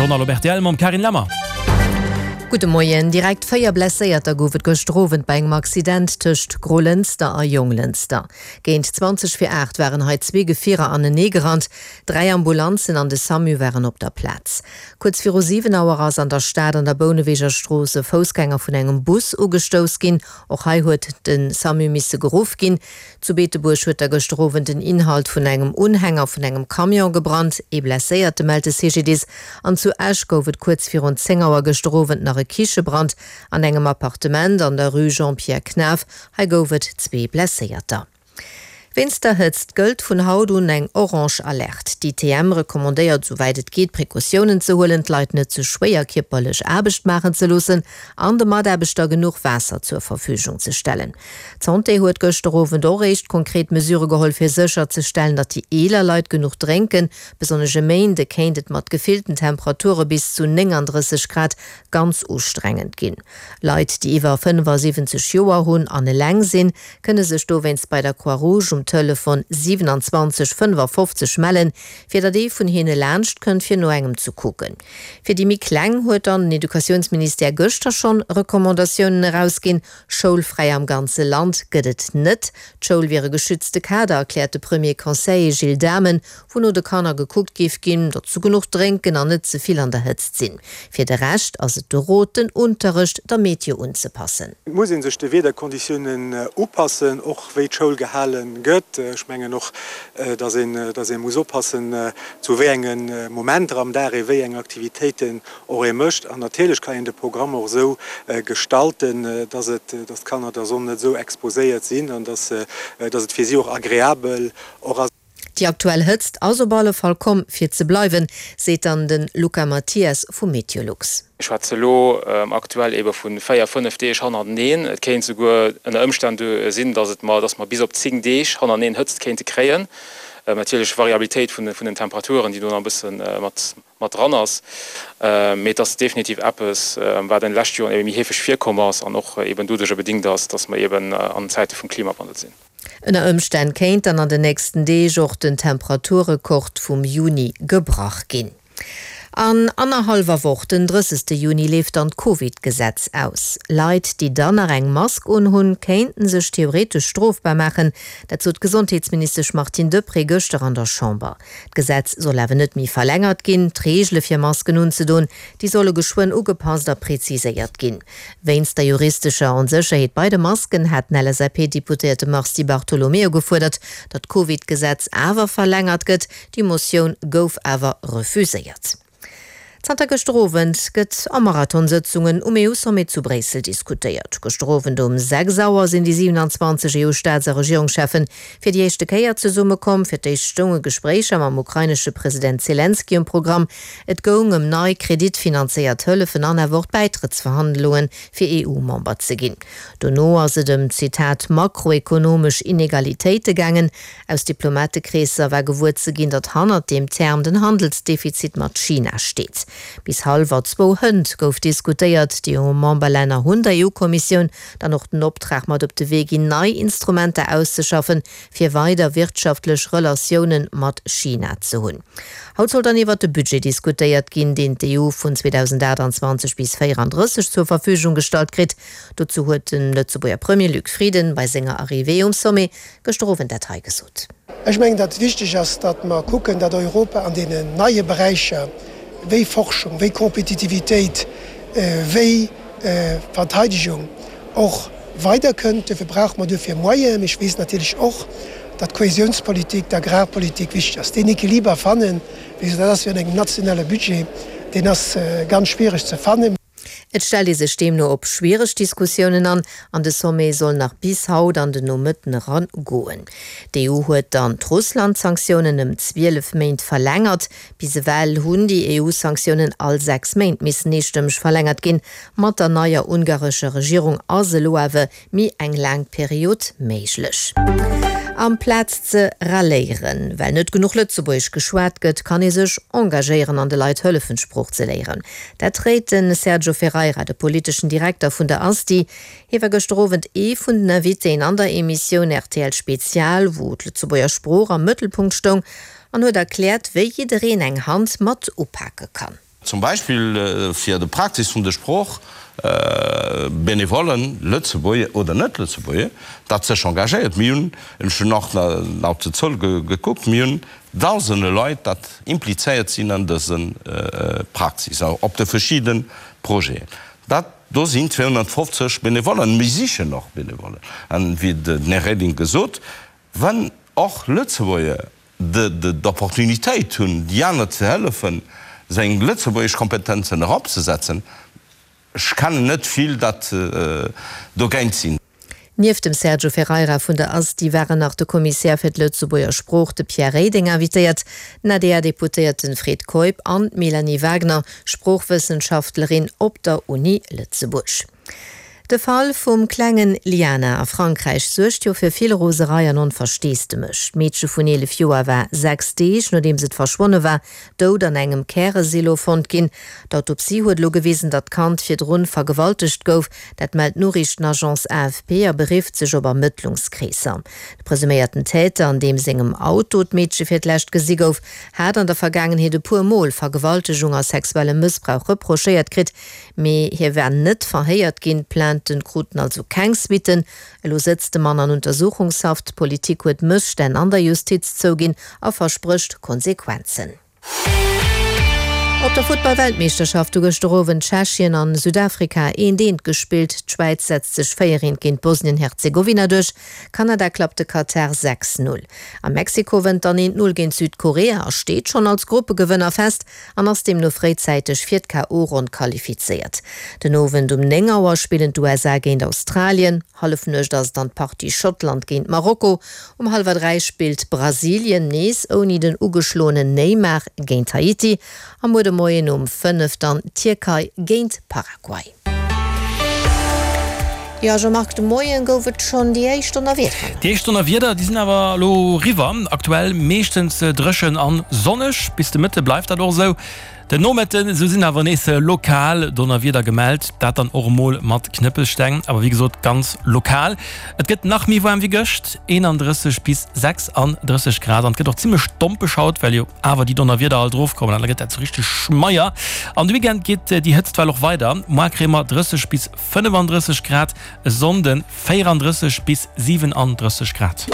Journal op rtl mam Carine Lemmer. Gudde Moien. Direkt 4 Blesséierter gouf et gëschter Owend bei engem Accident tëscht Grolënster a Jonglënster. Géint 20 vir 8 waren hei zwee Gefierer anenee gerannt. Dräi Ambulanzen an de Samu waren op der Plaz. Kuerz viru 7 Auer ass an der Stad an der Bouneweger Strooss e Foussgänger vun engem Bus ugestouss ginn. Och hei huet de Samu misse geruff ginn. Zu Beetebuerg huet da gëschter Owend den Inhalt vun engem Unhänger vun engem Camion gebrannt. Ee Blesséierte mellt de CGDIS. An zu Esch gouf et kuerz virun 10 Auer gëschter Owend nach e Kichebrand an engem Appartement an der Rue Jean-Pierre Knaff. Hei gouf et zwee Blesséierter. Wéinst der Hëtzt gëllt vun haut un eng orange Alerte. D'ITM recommandéiert esouwäit et geet Precautiounen ze huelen, d'Leit net ze schwéier kierperlech Aarbecht maachen ze loossen an de Mataarbechter genuch Waasser zur Verfügung ze stellen. D'Santé huet gëschter Owend och éischt konkret Mesure geholl fir sécher ze stellen, datt déi eeler Leit genuch drénken. Besonnesch e Méinde kéint et mat gefillten Temperature bis zu 39 Grad ganz ustrengend ginn. Leit, déi iwwer 75 Joer hunn an eleng sinn, kënne sech dowéinst bei der Croix-Rouge um Telefon 27 55 mellen, fir datt ee vun hinne laanscht kënnt, fir no engem ze kucken. Fir déi méi Kleng huet dann den Educatiounsministère gëschter schonn Recommandatiounen erausginn. Schoulfräi am ganze Land gëtt et net. D'Schoul wier e geschützte Kader, erkläert de Premier Conseiller Gilles Dhamen, wou no de Kanner gekuckt géif ginn, datt se genuch drénken an net ze vill an der Hëtzt sinn. Fir de Rescht ass et de Rot, den Unterrecht der Meteo unzepassen. Et muss ee sech de Wiederkonditiounen upassen, och wéi d'Schoul gehale gëtt. Ech mengen och, datt een, datt ee muss oppassen, zu wéi enge Momenter am Dag ee wéi eng Aktivitéiten och ee mécht. An natierlech kann een de Programm och esou gestalten, datt et, datt d'Kanner der Sonn net esou exposéiert sinn an datt, datt et fir si och agreabel och ass. Déi aktuell Hëtzt ass op alle Fall komm fir ze bleiwen, seet dann de Luca Mathias vu Meteolux. Ech schwätze elo aktuell ebe vu 4, 5 Deeg hannerteneen. Et kéint souguer ënner Ëmstänn sinn, dass et mer, dass mer bis op 10 Deeg hannerteneen Hëtzt kéinte kréien. Natierlech Variabilitéit vun den Temperaturen, déi do nach e bësse mat mat dran ass, mee et ass definitiv eppes, wat an de leschte Joren ebe méi heefeg virkomm ass an och eben doduerjer bedingt ass, dass mer eben an Zäite vum Klimawandel sinn. Ënner Ëmstänn kéint dann an den nächsten Deeg och den Temperaturrekord vum Juni gebrach ginn. An annerhallwer Woch, den 30. Juni, leeft dann d'Covid-Gesetz aus. Leit, déi dann nach eng Mask unhunn, kéinten sech theoretesch strofbar maachen. Dat sot d'Gesondheetsministesch Martine Deprez gëschter an der Chamber. D'Gesetz soll awer net méi verlängert ginn. D'Reegele fir Masken unzedoen, déi solle geschwënn ugepasst a preziséiert ginn. Wéinst der juristescher Onsécherheet bei de Masken hat den LSAP-Deputéierte Mars Di Bartolomeo gefuerdert, datt d'Covid-Gesetz awer verlängert gëtt. Déi Motioun gouf awer refuséiert. Zanter gëschter Owend gëtt a Marathonsëtzungen um EU-Sommet zu Bréissel diskutéiert. Gëschter Owend um 6 Auer sinn déi 27 EU-Staats a Regierungscheffe fir déi éischte Kéier zesummekomm. Fir d'éischt stounge Gespréicher mam ukrainesche President Zelenskyj um Programm. Et goung ëm nei kreditfinanzéiert Hëllefen an awer och d'Bäitrëttsverhandlunge fir EU-Member ze ginn. Dono ass et ëm, Zitat, makroekonomesch Inegalitéite gaangen. Aus Diplomatekreesser war gewuer ze ginn, datt hannert deem Term den Handelsdefizit mat China steet. Bis hallwer zwou hënt gouf diskutéiert. D'EU-Memberlänner hunn der EU-Kommissioun dann och den Optrag mat op de Wee ginn, nei Instrumenter auszeschaffen, fir weider wirtschaftlech Relatioune mat China ze hunn. Haut soll dann iwwert de Budget diskutéiert ginn, deen d'EU vun 2028 bis 34 zur Verfügung gestallt kritt. Dozou huet de Lëtzebuerger Premier Luc Frieden bei senger Arrivée um Sommet gëschter Owend dat hei gesot. Ech mengen, datt et wichteg ass, datt mer kucken, datt Europa an deenen neie Beräicher wéi Forschung, wéi Kompetitivitéit, wéi Verteidegung och weiderkënnt. Duerfir brauche mer duerfir Moyenen. Mee ech weess natierlech och, datt d'Kohäsionspolitik, d'Agrarpolitik wichteg ass. Deen Equiliber fannen, wéi gesot, dat ass jo an engem nationale Budget, deen ass ganz schwiereg ze fannen. Et stellt ee sech deemno op schwiereg Diskussiounen an, an de Sommet soll nach bis haut an den Nomëtten eran goen. D'EU huet dann d'Russland-Sanktiounen ëm 12 Méint verlängert. Bis ewell hunn déi EU-Sanktiounen all 6 Méint missen eestëmmeg verlängert ginn. Mat der neier ungarescher Regierung ass elo awer Méi eng laang Period méiglech. Amplaz ze ralléieren, well net genuch Lëtzebuergesch geschwat gëtt, kann ee sech engagéieren an de Leit hëllefen, d'Sprooch ze léieren. Dat réit de Sergio Ferreira, de politeschen Direkter vun der ASTI. Hie war gëschter Owend ee vun den Invitéen an der Emissioun rtl Spezial, wou d'Lëtzebuerger Sprooch am Mëttelpunkt stoung, an huet erkläert, wéi jiddereen eng Hand mat upake kann. Zum Beispill fir de Praxis vun de Sprooch, Benevollen, Lëtzebuerger oder Net-Lëtzebuerger, dat sech engagéiert. Mir hunn, ech hunn och nach op d'Zuel gekuckt, mir hunn Dausende Leit, dat implizéiert sinn an dëse Praxis, op de verschidde Projeten. Dat do sinn 250 Benevollen. Mir sichen och Benevollen. An wéi den Här Reding gesot, wann och Lëtzebuerger d'Opportunitéit hunn, déi aner ze hëllefen, seng lëtzebuergesch Kompetenzen eropzesetzen. Ech kennen net vill, dat dogéint sinn. Nieft dem Sergio Ferreira vun der ASTI waren nach de Kommissär fir d'Lëtzebuerger Sprooch, de Pierre Reding, invitéiert, den ADR-Deputéierten Fred Keup an d'Mélanie Wagner, Sproochwëssenschaftlerin op der Uni Lëtzebuerg. De Fall vum klengen Liana a Frankräich suergt jo fir vill Roserei an Onversteesdemech. D'Meedche vun 11 Joer war 6 Deeg nodeems et verschwonne war, dout an engem Käresilo fonnt ginn. D'Autopsie huet elo gewisen, datt d'Kand virdrun vergewaltegt gouf. Dat mellt d'Noriichtenagence AFP a berifft sech op Ermëttlungskreesser. De presuméierten Täter, an deem sengem Auto d'Meedche fir d'lescht gesi gouf, hat an der Vergaangenheet e puer Mol Vergewaltegung a sexuelle Mëssbrauch reprochéiert kritt. Mee hie war net verhéiert ginn, d'Plainten kruten also keng Suitten. Elo sëtzt de Mann an Untersuchungshaft. D'Politik huet Mësstänn an der Justiz zouginn a versprécht Konsequenzen. Op der Futtball-Weltmeeschterschaft hu gëschter Owend Tschechien an Südafrika eent eent gespillt. D'Schwäiz setzt sech 4 eent géint Bosnien-Herzegowina duerch. Kanada klappt de Katar 6, 0. A Mexiko wënnt dann eent 0 géint Südkorea a steet schonn als Gruppegewënner fest. an ass deemno fréizäiteg fir d'KO-Ronn qualifizéiert. Den Owend um 9 Auer spillen d'USA géint Australien, Hallefnuecht ass et dann d'Partie Schottland géint Marokko. Um hallwer 3 spillt Brasilien, nees ouni den ugeschloenen Neymar, géint Haiti a muer de Moien um 5 dann d'Tierkei géint Paraguay. Jo Jean-Marc, de Moien gouf et schonn déi éischt Donnerwiederen. Déi éischt Donnerwieder, déi sinn awer elo eriwwer. Aktuell meeschtens dréchen an sonneg. Bis de Mëtte bleift dat och esou. Den Nomëtten esou sinn awer nees lokal Donnerwieder gemellt, dat dann och emol mat Knëppelsteng, awer wéi gesot ganz lokal. Et gëtt nach méi waarm wéi gëscht, 31 bis 36 Grad, an et gëtt och zimmlech dompeg haut, well jo awer déi Donnerwieder alt erofkommen an da gëtt dat sou richteg schmeier. An de Weekend geet déi Hëtztwell och weider, moar kréie mer 30 bis 35 Grad, e Sonnden 34 bis 37 Grad.